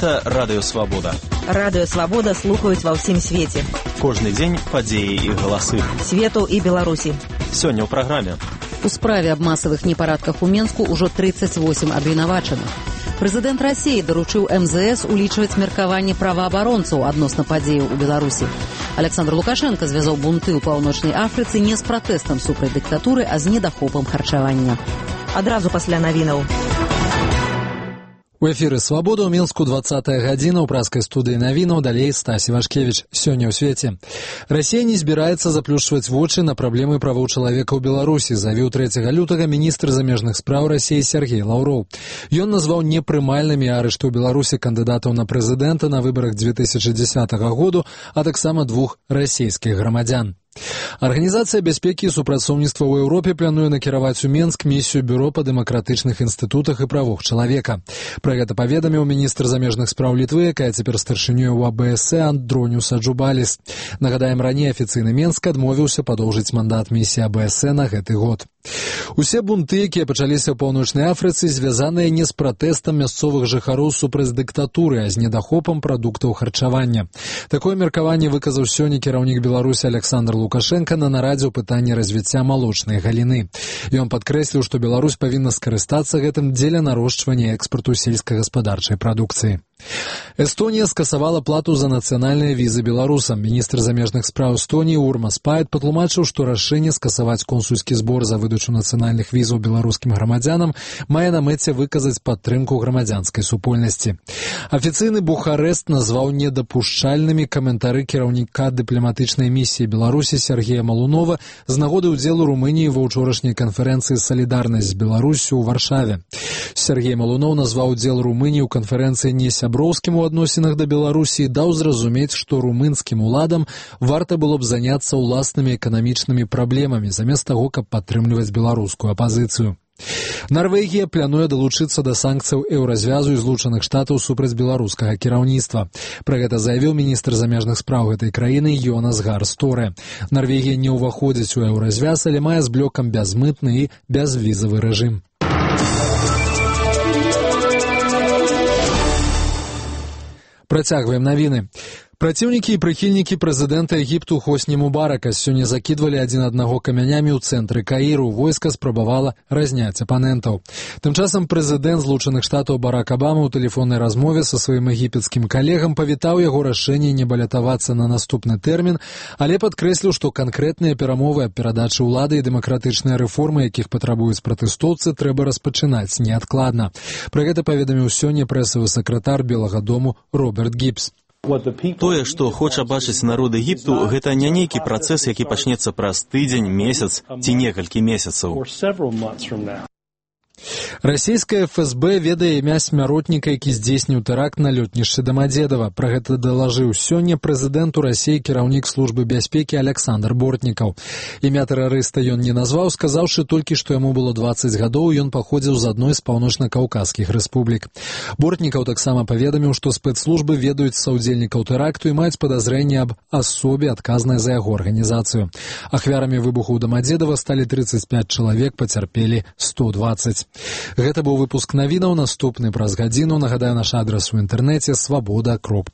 Гэта Радыё Свабода. Радыё Свабода слухаюць ва ўсім свеце. Кожны дзень падзеі і галасы. Свету і Беларусі. Сёння ў праграме. У справе аб масавых непарадках у Менску ўжо 38 абвінавачаных. Прэзідэнт Расіі даручыў МЗС улічваць меркаванне праваабаронцаў адносна падзеяў у Беларусі. Александр Лукашенко звязаў бунты ў Паўночнай Афрыцы не з пратэстам супраць дыктатуры, а з недахопам харчавання. Адразу пасля навінаў. У эфіры «Свабода» ў Мінску 20-я гадзіна ў праскай студыі навінаў, далей Стась Івашкевіч. Сёння ў свеце. Расія не збіраецца заплюшчваць вочы на праблемы правоў чалавека ў Беларусі, заявіў 3 лютага міністр замежных спраў Расіі Сергей Лаўроў. Ён назваў непрымальнымі арышты ў Беларусі кандыдатаў на прэзідэнта на выбарах 2010 году, а таксама 2 расійскіх грамадзян. Арганізацыя бяспекі і супрацоўніцтва ў Еўропе плануе накіраваць у Менск місію бюро па дэмакратычных інстытутах і правах чалавека. Пра гэта паведаміў міністр замежных спраў Літвы, якая цяпер старшынёй у АБС Андроніус Аджубаліс. Нагадаем, раней афіцыйны Менск адмовіўся падоўжыць мандат місіі АБС на гэты год. Усе бунты, якія пачаліся ў Паўночнай Афрыцы, звязаныя не з пратэстам мясцовых жыхароў супраць дыктатуры, а з недахопам прадуктаў харчавання. Такое меркаванне выказаў сёння кіраўнік Беларусі Александр Лукашенко на нарадзе ў пытанні развіцця малочнай галіны. Ён падкрэсліў, што Беларусь павінна скарыстацца гэтым дзеля нарошчвання экспарту сельскагаспадарчай прадукцыі. Эстонія скасавала плату за нацыянальныя візы беларусам. Міністр замежных спраў Эстоніі Урмас Паэт патлумачыў, што рашэнне скасаваць консульскі збор за выдачу нацыянальных візаў беларускім грамадзянам мае на мэце выказаць падтрымку грамадзянскай супольнасці. Афіцыйны Бухарэст назваў недапушчальнымі каментары кіраўніка дыпламатычнай місіі Беларусі Сергея Малунова з нагоды ўдзелу Румыніі ва ўчорашняй канферэнцыі «Салідарнасць з Беларуссю» ў Варшаве. Сергей Малунов назваў удзел Румыніі ў канферэнцыі несяброўскім у адносінах да Беларусі і даў зразумець, што румынскім уладам варта было б заняцца ўласнымі эканамічнымі праблемамі, замест таго, каб падтрымліваць беларускую апазіцыю. Нарвегія плануе далучыцца да санкцыяў еўразвязу і Злучаных Штатаў супраць беларускага кіраўніцтва. Пра гэта заявіў міністр замежных спраў гэтай краіны Йонас Гар Сторе. Нарвегія не ўваходзіць у еўразвяз, але мае з блокам бязмытны і бязвізавы рэжым. Працягваем навіны. Праціўнікі і прыхільнікі прэзідэнта Егіпту Хосні Мубарака сёння закідвалі адзін аднаго камянямі ў цэнтры Каіру. Войска спрабавала разняць апанентаў. Тым часам прэзідэнт Злучаных Штатаў Барак Абама ў тэлефоннай размове са сваім егіпецкім калегам павітаў яго рашэнне не балятавацца на наступны тэрмін, але падкрэсліў, што канкрэтныя перамовы аб перадачы ўлады і дэмакратычныя рэформы, якіх патрабуюць пратэстоўцы, трэба распачынаць неадкладна. Пра гэта паведаміў сёння прэсавы сакратар Белага дому Роберт Гібс. Тое, што хоча бачыць народ Егіпту, гэта не нейкі працэс, які пачнецца праз тыдзень, месяц ці некалькі месяцаў. Расійская ФСБ ведае імя смяротніка, які здзейсніў тэракт на лётнішчы Дамадзедава. Пра гэта далажыў сёння прэзідэнту Расіі кіраўнік службы бяспекі Александр Бортнікаў. Імя тэрарыста ён не назваў, сказаўшы толькі, што яму было 20 гадоў, ён паходзіў з адной з паўночна-каўказскіх рэспублік. Бортнікаў таксама паведаміў, што спецслужбы ведаюць саўдзельнікаў тэракту і маюць падазрэнне аб асобе, адказнай за яго арганізацыю. Ахвярамі выбуху ў Дамадзедава сталі 35 чалавек, пацярпелі 120. Гэта быў выпуск навінаў, наступны праз гадзіну. Нагадаю, наш адрас у інтэрнэце свабода.ру.